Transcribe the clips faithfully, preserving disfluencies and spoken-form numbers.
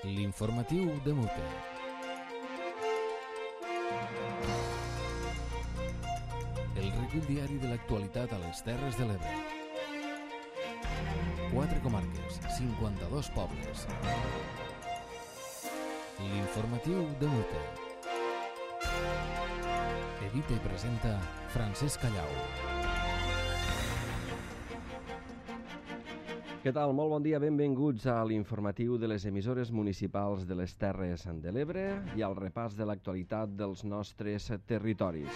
L'informatiu de Mute. El recull diari de l'actualitat a les Terres de l'Ebre. Quatre comarques, cinquanta-dos pobles. L'informatiu de Mute. Edita i presenta Francesc Callau. Què tal? Molt bon dia, benvinguts a l'informatiu de les emissores municipals de les Terres de l'Ebre i al repàs de l'actualitat dels nostres territoris.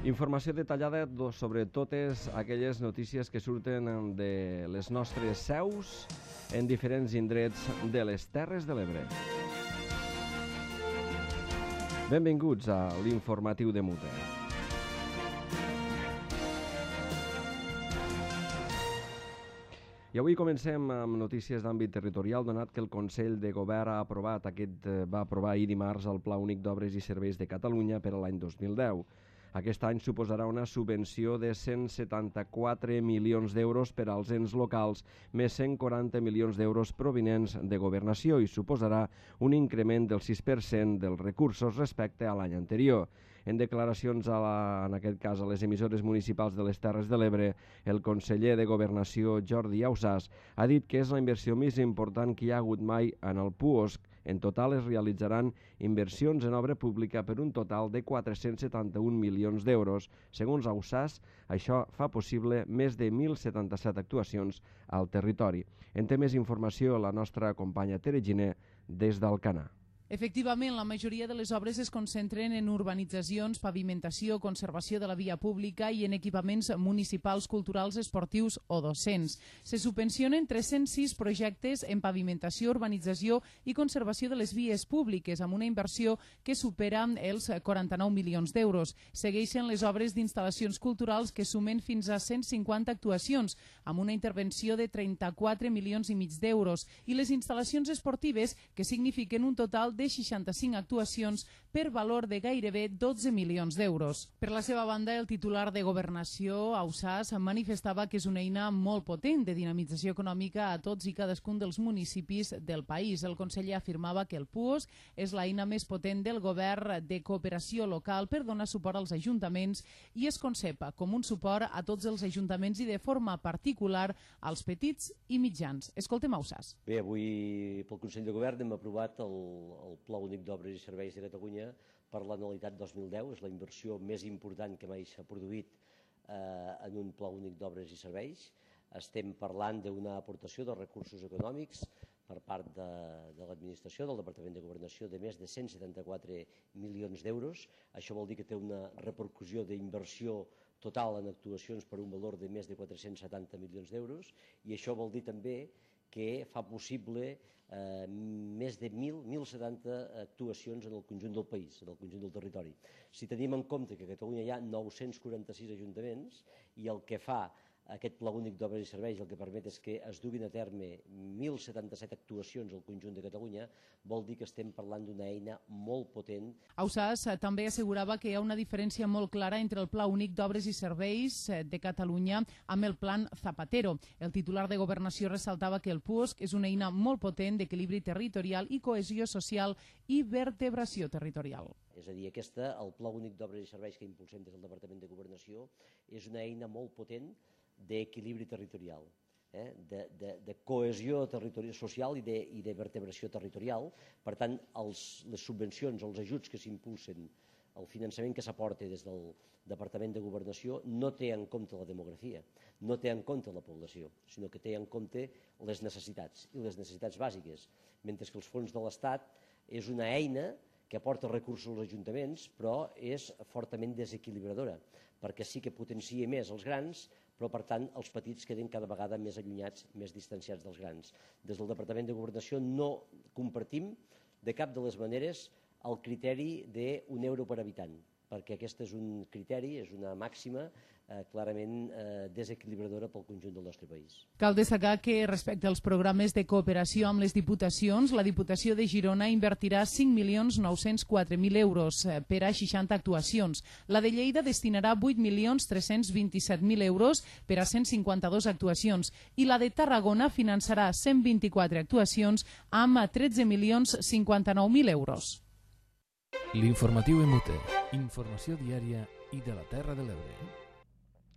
Informació detallada sobre totes aquelles notícies que surten de les nostres seus en diferents indrets de les Terres de l'Ebre. Benvinguts a l'informatiu de Mute. I avui comencem amb notícies d'àmbit territorial, donat que el Consell de Govern ha aprovat, aquest va aprovar ahir dimarts el Pla Únic d'Obres i Serveis de Catalunya per a l'any dos mil deu. Aquest any suposarà una subvenció de cent setanta-quatre milions d'euros per als ens locals, més cent quaranta milions d'euros provinents de Governació i suposarà un increment del sis per cent dels recursos respecte a l'any anterior. En declaracions, a la, en aquest cas, a les emissores municipals de les Terres de l'Ebre, el conseller de Governació, Jordi Ausàs, ha dit que és la inversió més important que hi ha hagut mai en el puosc. En total es realitzaran inversions en obra pública per un total de quatre-cents setanta-un milions d'euros. Segons Ausàs, això fa possible més de mil setanta-set actuacions al territori. En té més informació la nostra companya Tere Giner des d'Alcanar. Efectivament, la majoria de les obres es concentren en urbanitzacions, pavimentació, conservació de la via pública i en equipaments municipals, culturals, esportius o docents. Se subvencionen tres-cents sis projectes en pavimentació, urbanització i conservació de les vies públiques, amb una inversió que supera els quaranta-nou milions d'euros. Segueixen les obres d'instal·lacions culturals que sumen fins a cent cinquanta actuacions, amb una intervenció de trenta-quatre milions i mig d'euros, i les instal·lacions esportives, que signifiquen un total de seixanta-cinc actuacions per valor de gairebé dotze milions d'euros. Per la seva banda, el titular de Governació, Ausàs, manifestava que és una eina molt potent de dinamització econòmica a tots i cadascun dels municipis del país. El conseller afirmava que el puosc és l'eina més potent del govern de cooperació local per donar suport als ajuntaments i es concepa com un suport a tots els ajuntaments i de forma particular als petits i mitjans. Escoltem Ausàs. Bé, avui pel Consell de Govern hem aprovat el el Pla Únic d'Obres i Serveis de Catalunya per l'anualitat dos mil deu. És la inversió més important que mai s'ha produït eh, en un Pla Únic d'Obres i Serveis. Estem parlant d'una aportació de recursos econòmics per part de, de l'administració, del Departament de Governació, de més de cent setanta-quatre milions d'euros. Això vol dir que té una repercussió d'inversió total en actuacions per un valor de més de quatre-cents setanta milions d'euros i això vol dir també que fa possible eh, més de mil setanta actuacions en el conjunt del país, en el conjunt del territori. Si tenim en compte que a Catalunya hi ha nou-cents quaranta-sis ajuntaments i el que fa aquest Pla Únic d'Obres i Serveis el que permet és que es duguin a terme mil setanta-set actuacions al conjunt de Catalunya, vol dir que estem parlant d'una eina molt potent. Ausàs també assegurava que hi ha una diferència molt clara entre el Pla Únic d'Obres i Serveis de Catalunya amb el Plan Zapatero. El titular de Governació ressaltava que el puosc és una eina molt potent d'equilibri territorial i cohesió social i vertebració territorial. És a dir, aquesta, el Pla Únic d'Obres i Serveis que impulsem des del Departament de Governació, és una eina molt potent d'equilibri territorial, eh? de, de, de cohesió territorial social i de, i de vertebració territorial. Per tant, els, les subvencions, els ajuts que s'impulsen, el finançament que s'aporta des del Departament de Governació no té en compte la demografia, no té en compte la població, sinó que té en compte les necessitats, i les necessitats bàsiques, mentre que els fons de l'Estat és una eina que aporta recursos als ajuntaments, però és fortament desequilibradora, perquè sí que potencia més els grans, però per tant els petits queden cada vegada més allunyats, més distanciats dels grans. Des del Departament de Governació no compartim de cap de les maneres el criteri d'un euro per habitant. perquè aquest és un criteri, és una màxima eh, clarament eh, desequilibradora pel conjunt del nostre país. Cal destacar que respecte als programes de cooperació amb les diputacions, la Diputació de Girona invertirà cinc milions nou-cents quatre mil euros per a seixanta actuacions. La de Lleida destinarà vuit milions tres-cents vint-i-set mil euros per a cent cinquanta-dos actuacions i la de Tarragona finançarà cent vint-i-quatre actuacions amb tretze milions cinquanta-nou mil euros. L'informatiu M U T, informació diària i de la Terra de l'Ebre.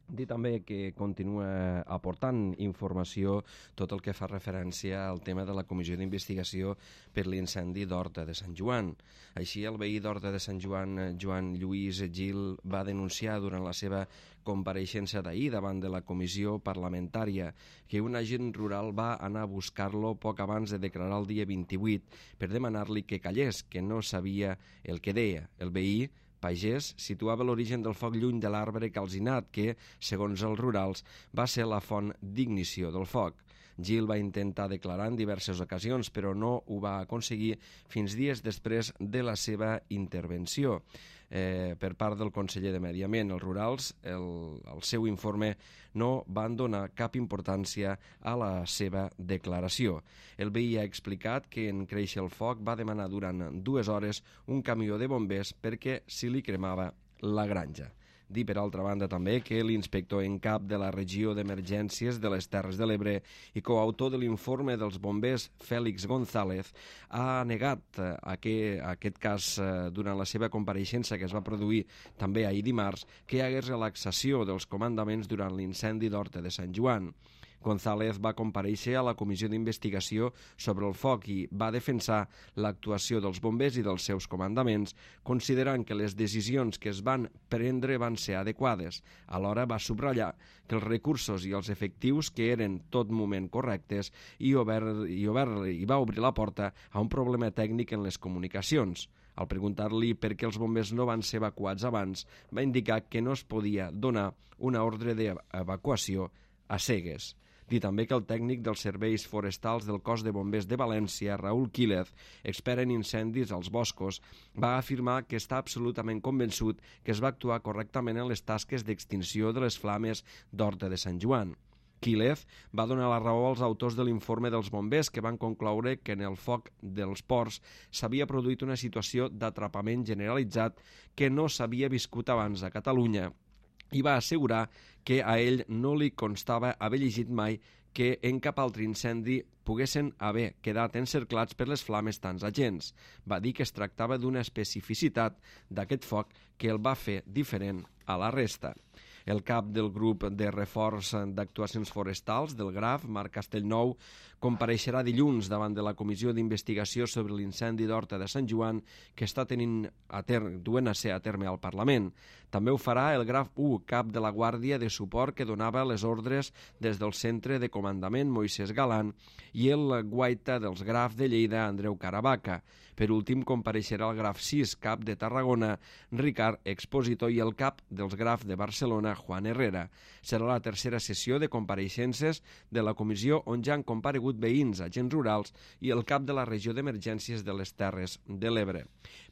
Dir també que continua aportant informació tot el que fa referència al tema de la comissió d'investigació per l'incendi d'Horta de Sant Joan. Així, el veí d'Horta de Sant Joan, Joan Lluís Gil, va denunciar durant la seva compareixença d'ahir davant de la comissió parlamentària que un agent rural va anar a buscar-lo poc abans de declarar el dia vint-i-vuit per demanar-li que callés, que no sabia el que deia. El veí pagès situava l'origen del foc lluny de l'arbre calcinat que, segons els rurals, va ser la font d'ignició del foc. Gil va intentar declarar en diverses ocasions, però no ho va aconseguir fins dies després de la seva intervenció. Eh, per part del conseller de Medi Ambient, els rurals, el, el seu informe no van donar cap importància a la seva declaració. El veí ha explicat que en créixer el foc va demanar durant dues hores un camió de bombers perquè se li cremava la granja. Dir, per altra banda, també que l'inspector en cap de la regió d'emergències de les Terres de l'Ebre i coautor de l'informe dels bombers, Fèlix González, ha negat aquest, aquest cas durant la seva compareixença que es va produir també ahir dimarts, que hi hagués relaxació dels comandaments durant l'incendi d'Horta de Sant Joan. González va comparèixer a la comissió d'investigació sobre el foc i va defensar l'actuació dels bombers i dels seus comandaments, considerant que les decisions que es van prendre van ser adequades. Alhora va subratllar que els recursos i els efectius que eren tot moment correctes i, obert, i, obert, i va obrir la porta a un problema tècnic en les comunicacions. Al preguntar-li per què els bombers no van ser evacuats abans, va indicar que no es podia donar una ordre d'evacuació a cegues. Dir també que el tècnic dels serveis forestals del cos de bombers de València, Raúl Quílez, expert en incendis als boscos, va afirmar que està absolutament convençut que es va actuar correctament en les tasques d'extinció de les flames d'Horta de Sant Joan. Quílez va donar la raó als autors de l'informe dels bombers que van concloure que en el foc dels ports s'havia produït una situació d'atrapament generalitzat que no s'havia viscut abans a Catalunya i va assegurar que a ell no li constava haver llegit mai que en cap altre incendi poguessin haver quedat encerclats per les flames tants agents. Va dir que es tractava d'una especificitat d'aquest foc que el va fer diferent a la resta. El cap del grup de reforç d'actuacions forestals del Graf, Marc Castellnou, compareixerà dilluns davant de la comissió d'investigació sobre l'incendi d'Horta de Sant Joan que està tenint a terme, duent a ser a terme al Parlament. També ho farà el Graf u, cap de la Guàrdia de Suport que donava les ordres des del centre de comandament Moisès Galant, i el guaita dels Graf de Lleida, Andreu Caravaca. Per últim, compareixerà el Graf sis, cap de Tarragona, Ricard Expositor, i el cap dels Graf de Barcelona, Juan Herrera. Serà la tercera sessió de compareixences de la comissió on ja han comparegut veïns, agents rurals i el cap de la regió d'emergències de les Terres de l'Ebre.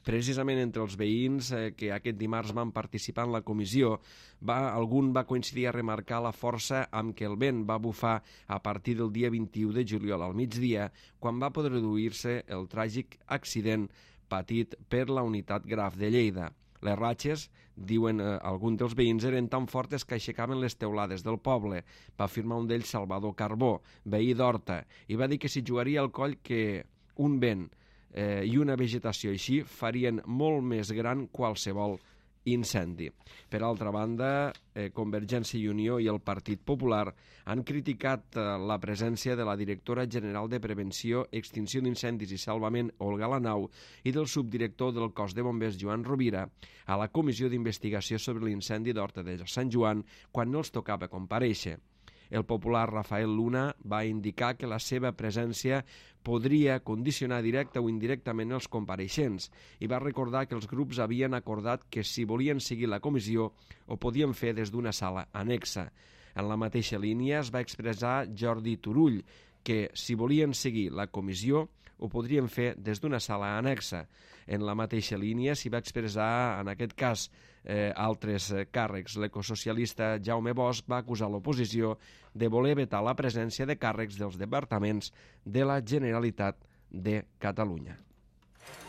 Precisament entre els veïns eh, que aquest dimarts van participar en la comissió, va, algun va coincidir a remarcar la força amb què el vent va bufar a partir del dia vint-i-u de juliol al migdia, quan va produir-se el tràgic accident patit per la unitat Graf de Lleida. Les ratxes, diuen eh, alguns dels veïns, eren tan fortes que aixecaven les teulades del poble, va afirmar un d'ells, Salvador Carbó, veí d'Horta, i va dir que s'hi jugaria al coll que un vent eh, i una vegetació així farien molt més gran qualsevol incendi. Per altra banda, eh, Convergència i Unió i el Partit Popular han criticat eh, la presència de la directora general de Prevenció, Extinció d'Incendis i Salvament, Olga Lanau, i del subdirector del cos de bombers, Joan Rovira, a la comissió d'investigació sobre l'incendi d'Horta de Sant Joan quan no els tocava comparèixer. El popular Rafael Luna va indicar que la seva presència podria condicionar directa o indirectament els compareixents i va recordar que els grups havien acordat que si volien seguir la comissió ho podien fer des d'una sala anexa. En la mateixa línia es va expressar Jordi Turull que si volien seguir la comissió ho podrien fer des d'una sala annexa. En la mateixa línia s'hi va expressar, en aquest cas, eh, altres càrrecs. L'ecosocialista Jaume Bosch va acusar l'oposició de voler vetar la presència de càrrecs dels departaments de la Generalitat de Catalunya.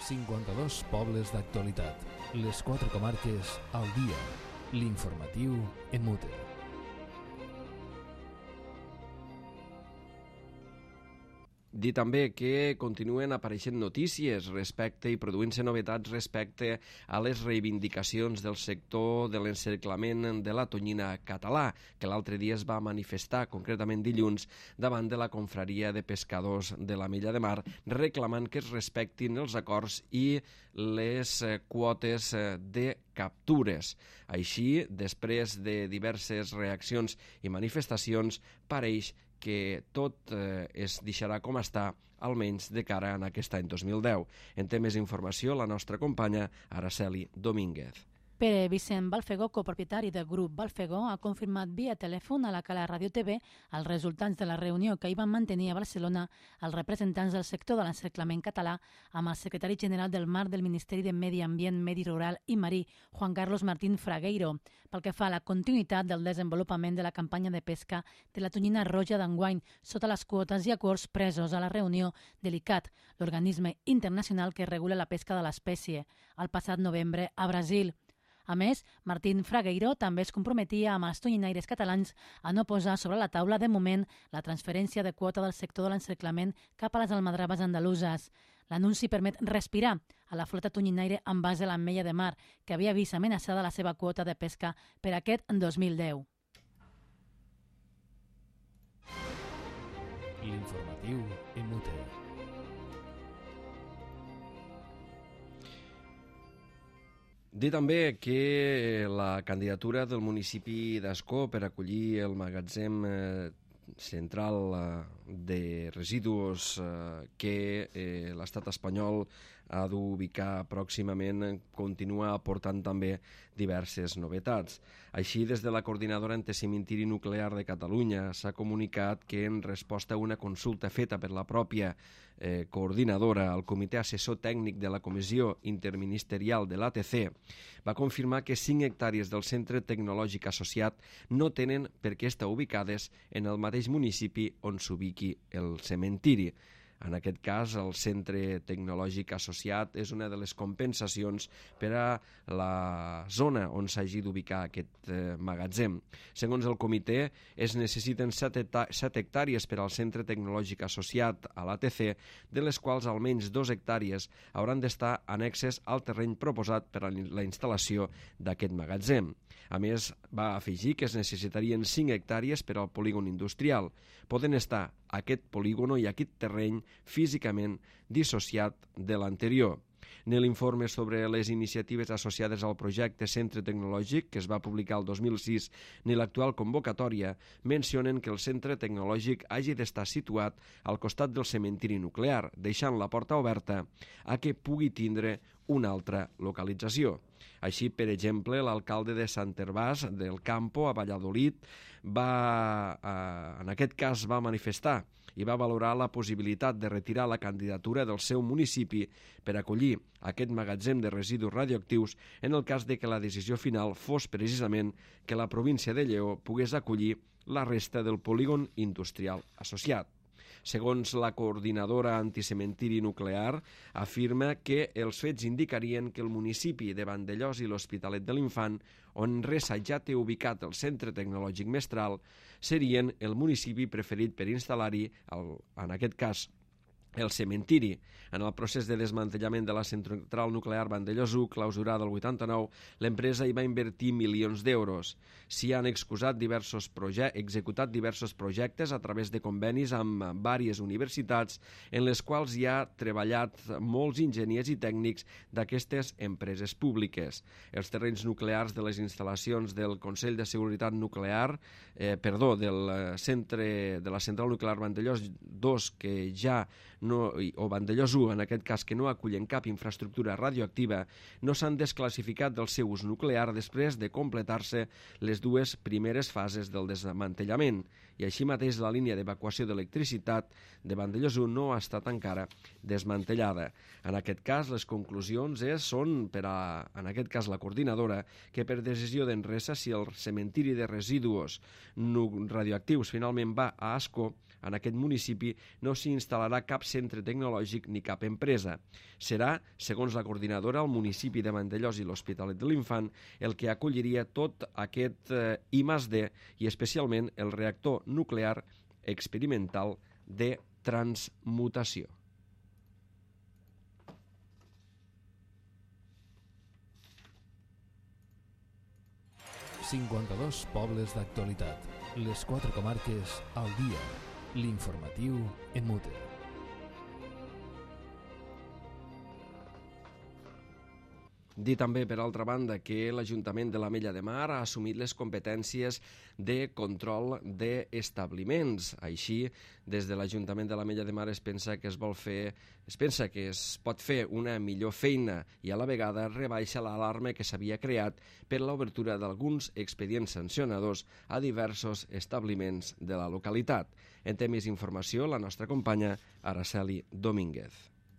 cinquanta-dos pobles d'actualitat. Les quatre comarques al dia. L'informatiu en Mute. Dir també que continuen apareixent notícies respecte i produint-se novetats respecte a les reivindicacions del sector de l'encerclament de la tonyina català, que l'altre dia es va manifestar, concretament dilluns, davant de la confraria de pescadors de la Mella de Mar, reclamant que es respectin els acords i les quotes de captures. Així, després de diverses reaccions i manifestacions, pareix que tot eh, es deixarà com està, almenys de cara a aquest any dos mil deu. En té més informació la nostra companya Araceli Domínguez. Pere Vicent Balfegó, copropietari del grup Balfegó, ha confirmat via telèfon a la Cala Ràdio T V els resultats de la reunió que hi van mantenir a Barcelona els representants del sector de l'encerclament català amb el secretari general del Mar del Ministeri de Medi Ambient, Medi Rural i Marí, Juan Carlos Martín Fragueiro, pel que fa a la continuïtat del desenvolupament de la campanya de pesca de la tonyina roja d'enguany sota les quotes i acords presos a la reunió de l'I C A T, l'organisme internacional que regula la pesca de l'espècie, el passat novembre a Brasil. A més, Martín Fragueiro també es comprometia amb els tonyinaires catalans a no posar sobre la taula de moment la transferència de quota del sector de l'encerclament cap a les almadraves andaluses. L'anunci permet respirar a la flota tonyinaire en base a l'Ametlla de Mar, que havia vist amenaçada la seva quota de pesca per aquest dos mil deu. L'informatiu en Mute. Dir també que la candidatura del municipi d'Ascó per acollir el magatzem eh, central eh, de residus eh, que eh, l'estat espanyol ha d'ubicar pròximament continua aportant també diverses novetats. Així, des de la Coordinadora Anticementiri Nuclear de Catalunya s'ha comunicat que en resposta a una consulta feta per la pròpia eh, coordinadora, el Comitè Assessor Tècnic de la Comissió Interministerial de l'A T C va confirmar que cinc hectàrees del Centre Tecnològic Associat no tenen per què estar ubicades en el mateix municipi on s'ubiqui el cementiri. En aquest cas, el Centre Tecnològic Associat és una de les compensacions per a la zona on s'hagi d'ubicar aquest eh, magatzem. Segons el comitè, es necessiten set hectàrees per al Centre Tecnològic Associat a l'A T C, de les quals almenys dos hectàrees hauran d'estar annexes al terreny proposat per a la instal·lació d'aquest magatzem. A més, va afegir que es necessitarien cinc hectàrees per al polígon industrial. Poden estar aquest polígon i aquest terreny físicament dissociat de l'anterior. Ni l'informe sobre les iniciatives associades al projecte Centre Tecnològic, que es va publicar el dos mil sis, ni l'actual convocatòria mencionen que el centre tecnològic hagi d'estar situat al costat del cementiri nuclear, deixant la porta oberta a que pugui tindre una altra localització. Així, per exemple, l'alcalde de Sant Hervàs del Campo, a Valladolid, va, eh, en aquest cas va manifestar i va valorar la possibilitat de retirar la candidatura del seu municipi per acollir aquest magatzem de residus radioactius en el cas de que la decisió final fos precisament que la província de Lleó pogués acollir la resta del polígon industrial associat. Segons la coordinadora anticementiri nuclear, afirma que els fets indicarien que el municipi de Vandellòs i l'Hospitalet de l'Infant, on Resa ja té ubicat el Centre Tecnològic Mestral, serien el municipi preferit per instal·lar-hi, en aquest cas, el cementiri. En el procés de desmantellament de la central nuclear Vandellòs u, clausurada el vuitanta-nou, l'empresa hi va invertir milions d'euros. S'hi han excusat diversos executat diversos projectes a través de convenis amb diverses universitats en les quals hi ha treballat molts enginyers i tècnics d'aquestes empreses públiques. Els terrenys nuclears de les instal·lacions del Consell de Seguretat Nuclear, eh, perdó, del centre de la central nuclear Vandellòs dos, que ja no, o Vandellòs u, en aquest cas, que no acullen cap infraestructura radioactiva, no s'han desclassificat del seu ús nuclear després de completar-se les dues primeres fases del desmantellament. I així mateix la línia d'evacuació d'electricitat de Vandellòs u no ha estat encara desmantellada. En aquest cas, les conclusions és, són, per a, en aquest cas, la coordinadora, que per decisió d'Enresa, si el cementiri de residus radioactius finalment va a Ascó, en aquest municipi no s'hi instal·larà cap centre tecnològic ni cap empresa. Serà, segons la coordinadora, el municipi de Vandellòs i l'Hospitalet de l'Infant el que acolliria tot aquest eh, I més D i especialment el reactor nuclear experimental de transmutació. cinquanta-dos pobles d'actualitat. Les quatre comarques al dia. L'informatiu en Mute. Dir també, per altra banda, que l'Ajuntament de l'Ametlla de Mar ha assumit les competències de control d'establiments. Així, des de l'Ajuntament de l'Ametlla de Mar es pensa que es vol fer, es pensa que es pot fer una millor feina i a la vegada rebaixa l'alarma que s'havia creat per l'obertura d'alguns expedients sancionadors a diversos establiments de la localitat. En té més informació la nostra companya Araceli Domínguez.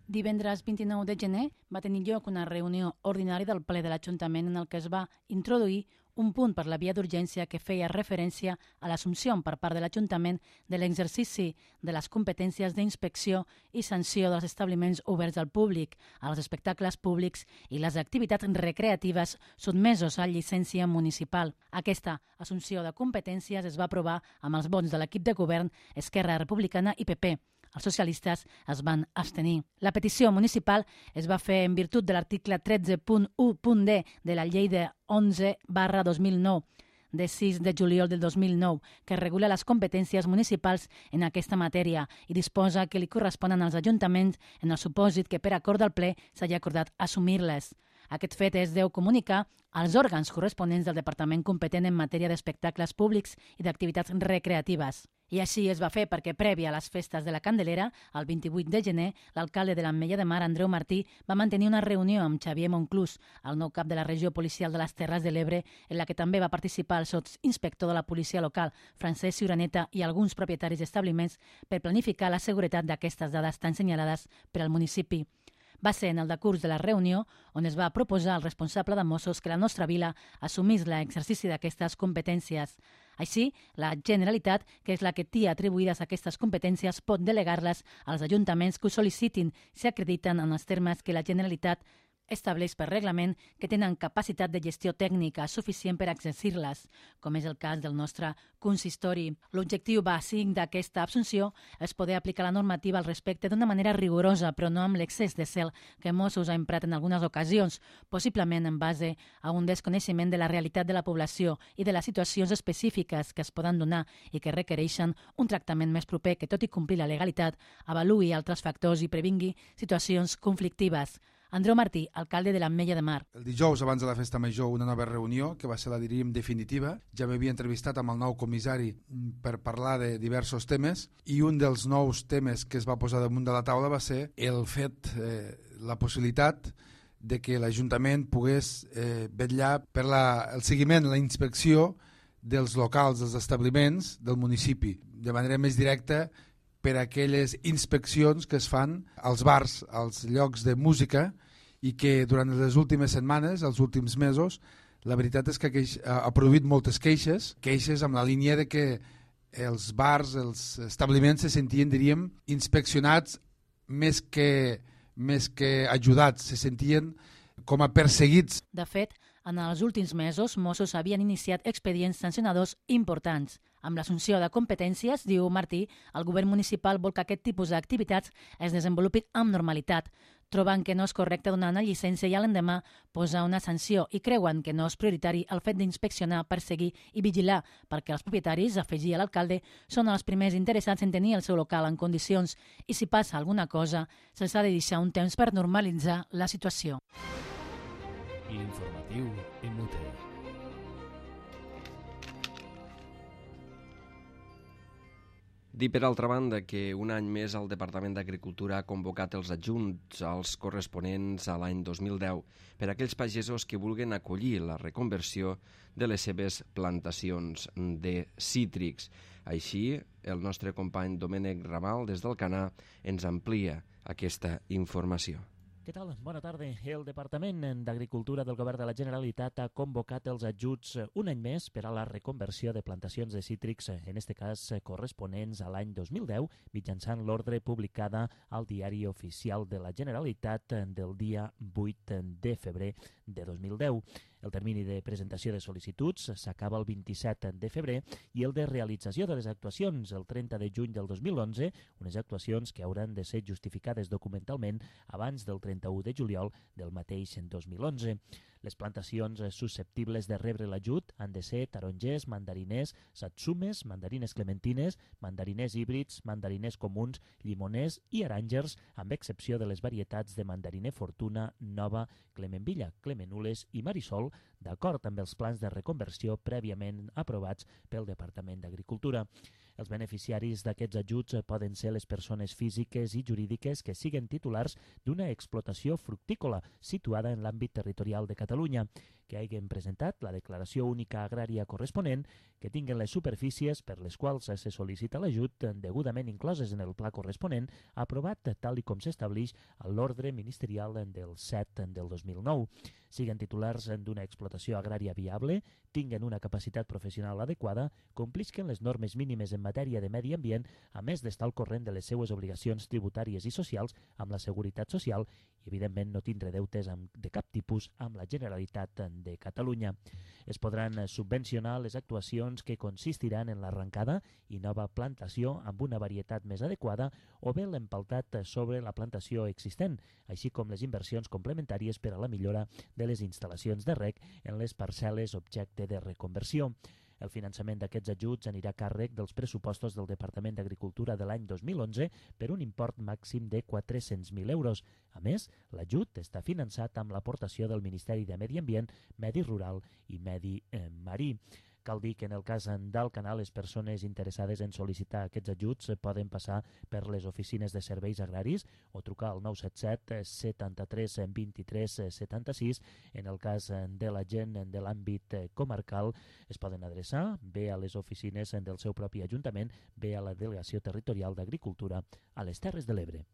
Divendres vint-i-nou de gener va tenir lloc una reunió ordinària del ple de l'Ajuntament en el que es va introduir un punt per la via d'urgència que feia referència a l'assumpció per part de l'Ajuntament de l'exercici de les competències d'inspecció i sanció dels establiments oberts al públic, als espectacles públics i les activitats recreatives sotmesos a llicència municipal. Aquesta assumpció de competències es va aprovar amb els vots de l'equip de govern Esquerra Republicana i P P. Els socialistes es van abstenir. La petició municipal es va fer en virtut de l'article tretze punt u punt d de la llei de onze barra dos mil nou, de sis de juliol del dos mil nou, que regula les competències municipals en aquesta matèria i disposa que li corresponen als ajuntaments en el supòsit que per acord del ple s'hagi acordat assumir-les. Aquest fet es deu comunicar als òrgans corresponents del departament competent en matèria d'espectacles públics i d'activitats recreatives. I així es va fer perquè, prèvia a les festes de la Candelera, el vint-i-vuit de gener, l'alcalde de l'Ametlla de Mar, Andreu Martí, va mantenir una reunió amb Xavier Monclús, el nou cap de la regió policial de les Terres de l'Ebre, en la que també va participar el sotsinspector de la policia local, Francesc Ciuraneta, i alguns propietaris d'establiments per planificar la seguretat d'aquestes dades tan senyalades per al municipi. Va ser en el decurs de la reunió on es va proposar al responsable de Mossos que la nostra vila assumís l'exercici d'aquestes competències. Així, la Generalitat, que és la que té atribuïdes aquestes competències, pot delegar-les als ajuntaments que ho sol·licitin si acrediten en els termes que la Generalitat estableix per reglament que tenen capacitat de gestió tècnica suficient per exercir-les, com és el cas del nostre consistori. L'objectiu bàsic d'aquesta absunció és poder aplicar la normativa al respecte d'una manera rigorosa, però no amb l'excés de zel que Mossos ha emprat en algunes ocasions, possiblement en base a un desconeixement de la realitat de la població i de les situacions específiques que es poden donar i que requereixen un tractament més proper que, tot i complir la legalitat, avaluï altres factors i previngui situacions conflictives. Andreu Martí, alcalde de l'Ametlla de Mar. El dijous, abans de la festa major, una nova reunió, que va ser la, diríem, definitiva. Ja m'havia entrevistat amb el nou comissari per parlar de diversos temes i un dels nous temes que es va posar damunt de la taula va ser el fet, eh, la possibilitat de que l'Ajuntament pogués eh, vetllar per la, el seguiment, la inspecció dels locals, dels establiments del municipi, de manera més directa per a aquelles inspeccions que es fan als bars, als llocs de música, i que durant les últimes setmanes, els últims mesos, la veritat és que ha produït moltes queixes, queixes amb la línia de que els bars, els establiments se sentien, diríem, inspeccionats més que, més que ajudats, se sentien com a perseguits. De fet, en els últims mesos, Mossos havien iniciat expedients sancionadors importants. Amb l'assumpció de competències, diu Martí, el govern municipal vol que aquest tipus d'activitats es desenvolupin amb normalitat. Troben que no és correcte donar una llicència i a l'endemà posar una sanció i creuen que no és prioritari el fet d'inspeccionar, perseguir i vigilar, perquè els propietaris, afegia l'alcalde, són els primers interessats en tenir el seu local en condicions i si passa alguna cosa, se'ls ha de deixar un temps per normalitzar la situació. L'informatiu en Mute. Dir, per altra banda, que un any més el Departament d'Agricultura ha convocat els adjunts als corresponents a l'any dos mil deu per a aquells pagesos que vulguin acollir la reconversió de les seves plantacions de cítrics. Així, el nostre company Domènec Ramal, des d'Alcanar, ens amplia aquesta informació. Què tal? Bona tarda. El Departament d'Agricultura del Govern de la Generalitat ha convocat els ajuts un any més per a la reconversió de plantacions de cítrics, en aquest cas corresponents a l'any dos mil deu, mitjançant l'ordre publicada al Diari Oficial de la Generalitat del dia vuit de febrer de dos mil deu. El termini de presentació de sol·licituds s'acaba el vint-i-set de febrer i el de realització de les actuacions el trenta de juny del dos mil onze, unes actuacions que hauran de ser justificades documentalment abans del trenta-u de juliol del mateix dos mil onze. Les plantacions susceptibles de rebre l'ajut han de ser tarongers, mandariners, satsumes, mandarines clementines, mandariners híbrids, mandariners comuns, llimoners i aràngers, amb excepció de les varietats de mandariner Fortuna, Nova, Clemenvilla, Clemenules i Marisol, d'acord amb els plans de reconversió prèviament aprovats pel Departament d'Agricultura. Els beneficiaris d'aquests ajuts poden ser les persones físiques i jurídiques que siguen titulars d'una explotació fructícola situada en l'àmbit territorial de Catalunya, que hagin presentat la declaració única agrària corresponent, que tinguin les superfícies per les quals se sol·licita l'ajut degudament incloses en el pla corresponent, aprovat tal i com s'establix a l'ordre ministerial del set del dos mil nou. Siguen titulars d'una explotació agrària viable, tinguen una capacitat professional adequada, complisquen les normes mínimes en matèria de medi ambient, a més d'estar al corrent de les seues obligacions tributàries i socials amb la Seguretat Social i, evidentment, no tindre deutes amb, de cap tipus amb la Generalitat de Catalunya. Es podran subvencionar les actuacions que consistiran en l'arrencada i nova plantació amb una varietat més adequada o bé l'empaltat sobre la plantació existent, així com les inversions complementàries per a la millora de les instal·lacions de reg en les parcel·les objecte de reconversió. El finançament d'aquests ajuts anirà a càrrec dels pressupostos del Departament d'Agricultura de l'any dos mil onze per un import màxim de quatre-cents mil euros. A més, l'ajut està finançat amb l'aportació del Ministeri de Medi Ambient, Medi Rural i Medi eh, Marí. Cal dir que en el cas d'Alcanar, les persones interessades en sol·licitar aquests ajuts poden passar per les oficines de serveis agraris o trucar al nou set set setanta-tres vint-i-tres setanta-sis. En el cas de la gent de l'àmbit comarcal, es poden adreçar bé a les oficines del seu propi ajuntament, bé a la Delegació Territorial d'Agricultura a les Terres de l'Ebre.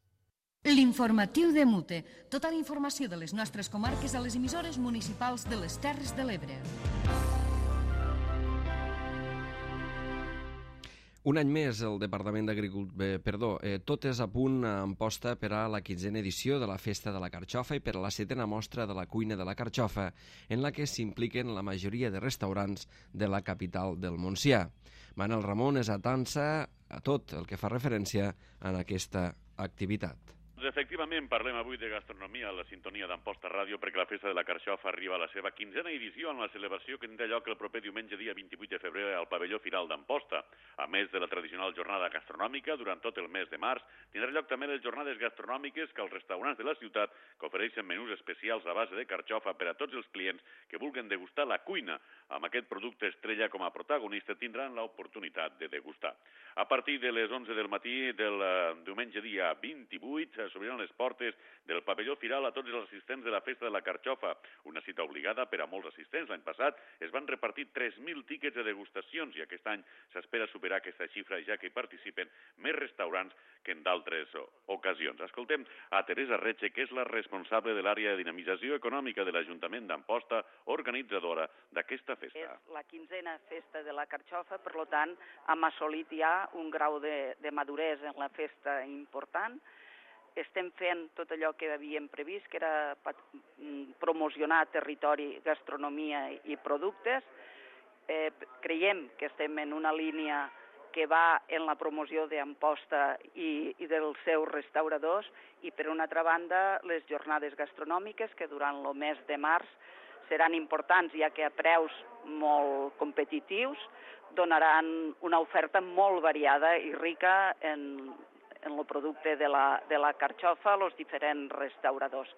L'informatiu de Mute. Tota la informació de les nostres comarques a les emissores municipals de les Terres de l'Ebre. Un any més, el Departament d'Agricultura... Eh, perdó, eh, tot és a punt en posta per a la quinzena edició de la Festa de la Carxofa i per a la setena mostra de la cuina de la Carxofa, en la que s'impliquen la majoria de restaurants de la capital del Montsià. Manel Ramon és atança a tot el que fa referència a aquesta activitat. Efectivament, parlem avui de gastronomia a la sintonia d'Amposta Ràdio perquè la Festa de la Carxofa arriba a la seva quinzena edició en la celebració que tindrà lloc el proper diumenge dia vint-i-vuit de febrer al pavelló Firal d'Amposta. A més de la tradicional jornada gastronòmica, durant tot el mes de març, tindrà lloc també les jornades gastronòmiques que els restaurants de la ciutat que ofereixen menús especials a base de carxofa per a tots els clients que vulguin degustar la cuina. Amb aquest producte estrella com a protagonista tindran l'oportunitat de degustar. A partir de les onze del matí del diumenge dia vint-i-vuit s'obriran les portes del pavelló Firal a tots els assistents de la Festa de la Carxofa, una cita obligada per a molts assistents. L'any passat es van repartir tres mil tíquets de degustacions i aquest any s'espera superar aquesta xifra, ja que hi participen més restaurants que en d'altres ocasions. Escoltem a Teresa Retxe, que és la responsable de l'àrea de dinamització econòmica de l'Ajuntament d'Amposta, organitzadora d'aquesta festa. És la quinzena Festa de la Carxofa, per tant, hem assolit ja un grau de, de maduresa en la festa important. Estem fent tot allò que havíem previst, que era promocionar territori, gastronomia i productes. Eh, creiem que estem en una línia que va en la promoció d'Amposta i, i dels seus restauradors i, per una altra banda, les jornades gastronòmiques que durant el mes de març seran importants, ja que a preus molt competitius donaran una oferta molt variada i rica en en el producte de la, de la carxofa a els diferents restauradors.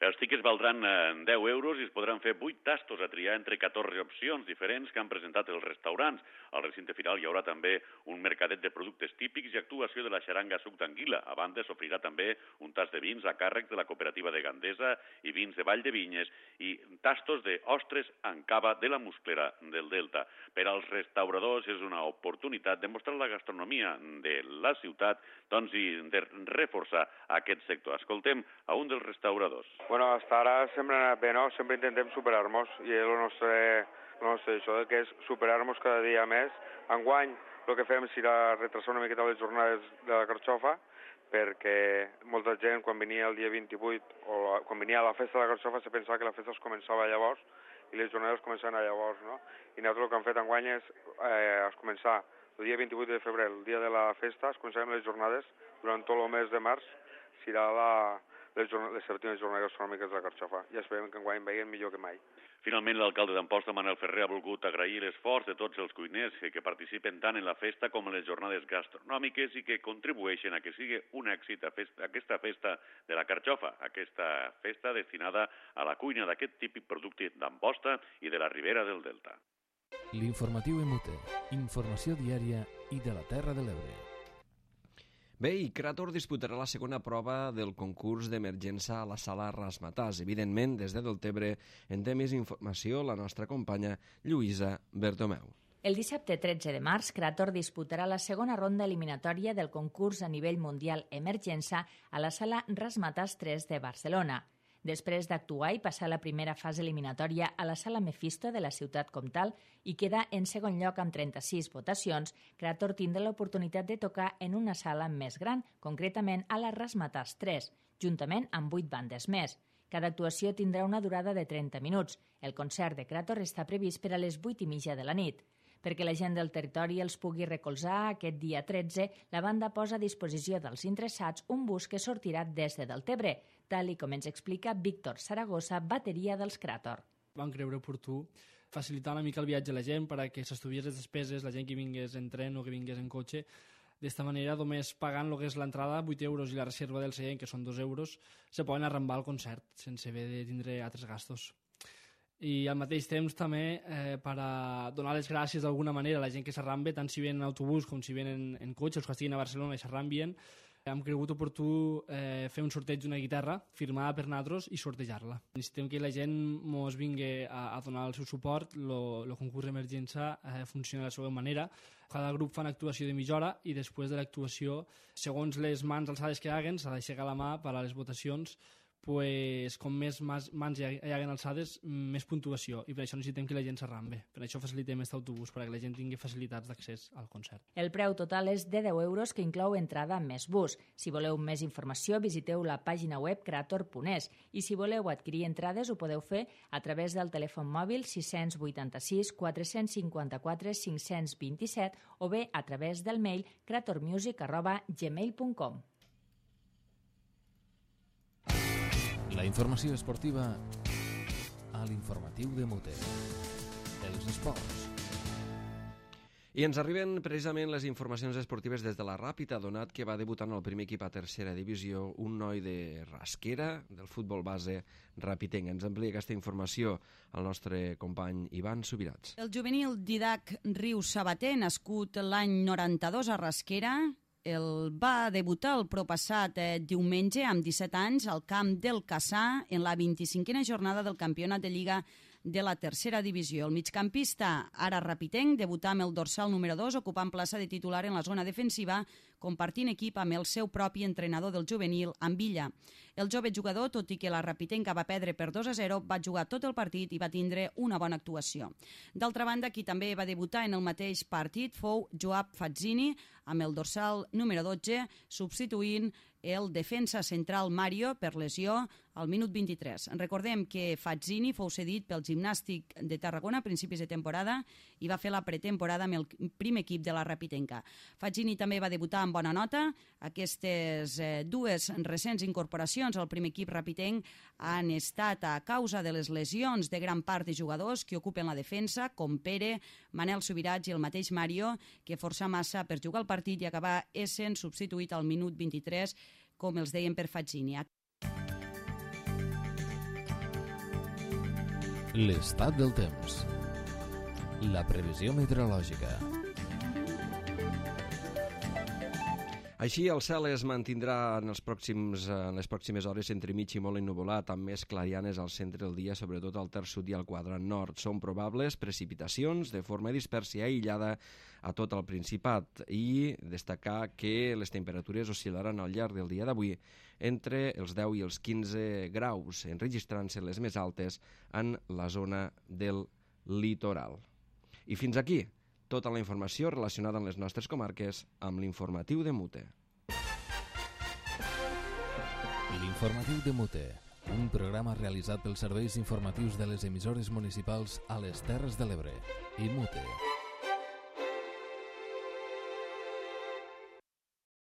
Els tiquets valdran deu euros i es podran fer vuit tastos a triar entre catorze opcions diferents que han presentat els restaurants. Al recinte final hi haurà també un mercadet de productes típics i actuació de la xaranga suc d'anguila. A banda, s'ofrirà també un tast de vins a càrrec de la cooperativa de Gandesa i vins de Vall de Vinyes i tastos d'ostres en cava de la Musclera del Delta. Per als restauradors és una oportunitat de mostrar la gastronomia de la ciutat doncs, i de reforçar aquest sector. Escoltem a un dels restauradors. Bueno, hasta ara sempre ha anat bé, no? Sempre intentem superar-nos i el nostre, el nostre això que és superar-nos cada dia més. Enguany el que fem serà retrasar una miqueta les jornades de la carxofa perquè molta gent quan venia el dia vint-i-vuit o quan venia a la festa de la carxofa se pensava que la festa es començava llavors i les jornades començaven a llavors, no? I nosaltres el que hem fet enguany és eh, es començar el dia vint-i-vuit de febrer, el dia de la festa, es començarem les jornades durant tot el mes de març, serà la les, les sèptimes jornades gastronòmiques de la carxofa. I esperem que enguany vegin millor que mai. Finalment, l'alcalde d'Amposta, Manel Ferrer, ha volgut agrair l'esforç de tots els cuiners que participen tant en la festa com en les jornades gastronòmiques i que contribueixen a que sigui un èxit a festa, aquesta festa de la carxofa, aquesta festa destinada a la cuina d'aquest típic producte d'Amposta i de la Ribera del Delta. L'informatiu Emute, informació diària i de la Terra de l'Ebre. Bé, i Krator disputarà la segona prova del concurs d'emergència a la sala Rasmatàs. Evidentment, des de Deltebre en té més informació la nostra companya Lluïsa Bertomeu. El dissabte tretze de març, Krator disputarà la segona ronda eliminatòria del concurs a nivell mundial Emergència a la sala Rasmatàs tres de Barcelona. Després d'actuar i passar la primera fase eliminatòria a la sala Mephisto de la ciutat comtal i quedar en segon lloc amb trenta-sis votacions, Krator tindrà l'oportunitat de tocar en una sala més gran, concretament a la Rasmatàs tres, juntament amb vuit bandes més. Cada actuació tindrà una durada de trenta minuts. El concert de Krator està previst per a les vuit i mitja de la nit. Perquè la gent del territori els pugui recolzar, aquest dia tretze, la banda posa a disposició dels interessats un bus que sortirà des de Deltebre, tal i com ens explica Víctor Saragossa, bateria dels Krator. Vam creure oportú facilitar una mica el viatge a la gent perquè s'estuviés les despeses, la gent que vingués en tren o que vingués en cotxe. D'esta manera, només pagant el que és l'entrada, vuit euros, i la reserva del seient, que són dos euros, se poden arrambar al concert sense haver de tindre altres gastos. I al mateix temps també eh, per a donar les gràcies d'alguna manera a la gent que s'arrambe, tant si ven en autobús com si ven en, en cotxe, els que estiguin a Barcelona i s'arrambien. Hem cregut oportú eh, fer un sorteig d'una guitarra firmada per nosaltres i sortejar-la. Necessitem que la gent ens vingui a, a donar el seu suport. El concurs d'emergència eh, funciona de la seva manera. Cada grup fa una actuació de mitja hora i després de l'actuació, segons les mans alçades que haguen, s'ha d'aixecar la mà per a les votacions. Pues, com més mans hi haguen alçades, més puntuació, i per això necessitem que la gent s'arrambe. Per això facilitem aquest autobús, perquè la gent tingui facilitats d'accés al concert. El preu total és de deu euros, que inclou entrada més bus. Si voleu més informació, visiteu la pàgina web krator punt es, i si voleu adquirir entrades ho podeu fer a través del telèfon mòbil sis vuit sis quatre cinc quatre cinc dos set o bé a través del mail kratormusic arroba gmail punt com. La informació esportiva a l'informatiu de Mute. Els esports. I ens arriben precisament les informacions esportives des de la Ràpita, donat que va debutar en el primer equip a tercera divisió un noi de Rasquera, del futbol base rapitenc. Ens amplia aquesta informació el nostre company Ivan Subirats. El juvenil Didac Rius Sabater, nascut l'any noranta-dos a Rasquera, el va debutar el propassat eh, diumenge amb disset anys al camp del Cassà en la vint-i-cinquena jornada del campionat de Lliga de la tercera divisió. El migcampista, ara rapitenc, debutà amb el dorsal número dos, ocupant plaça de titular en la zona defensiva, compartint equip amb el seu propi entrenador del juvenil, en Villa. El jove jugador, tot i que la rapitenca va perdre per dos a zero, va jugar tot el partit i va tindre una bona actuació. D'altra banda, qui també va debutar en el mateix partit fou Joab Fazzini, amb el dorsal número dotze, substituint el defensa central Mario per lesió al minut vint-i-tres. Recordem que Fazzini fou cedit pel Gimnàstic de Tarragona a principis de temporada i va fer la pretemporada amb el primer equip de la Rapitenca. Fazzini també va debutar amb bona nota. Aquestes eh, dues recents incorporacions al primer equip rapitenc han estat a causa de les lesions de gran part de jugadors que ocupen la defensa, com Pere, Manel Subirats i el mateix Mario, que força massa per jugar el partit i acabar essent substituït al minut vint-i-tres, com els deien, per Fazzini. L'estat del temps. La previsió meteorològica. Així, el cel es mantindrà en, els pròxims, en les pròximes hores entre mig i molt ennuvolat, amb més clarianes al centre del dia, sobretot al terç sud i al quadrant nord. Són probables precipitacions de forma dispersa i aïllada a tot el Principat, i destacar que les temperatures oscil·laran al llarg del dia d'avui entre els deu i els quinze graus, enregistrant-se les més altes en la zona del litoral. I fins aquí tota la informació relacionada amb les nostres comarques amb l'informatiu de Mute. L'informatiu de Mute, un programa realitzat pels serveis informatius de les emissores municipals a les Terres de l'Ebre i Mute.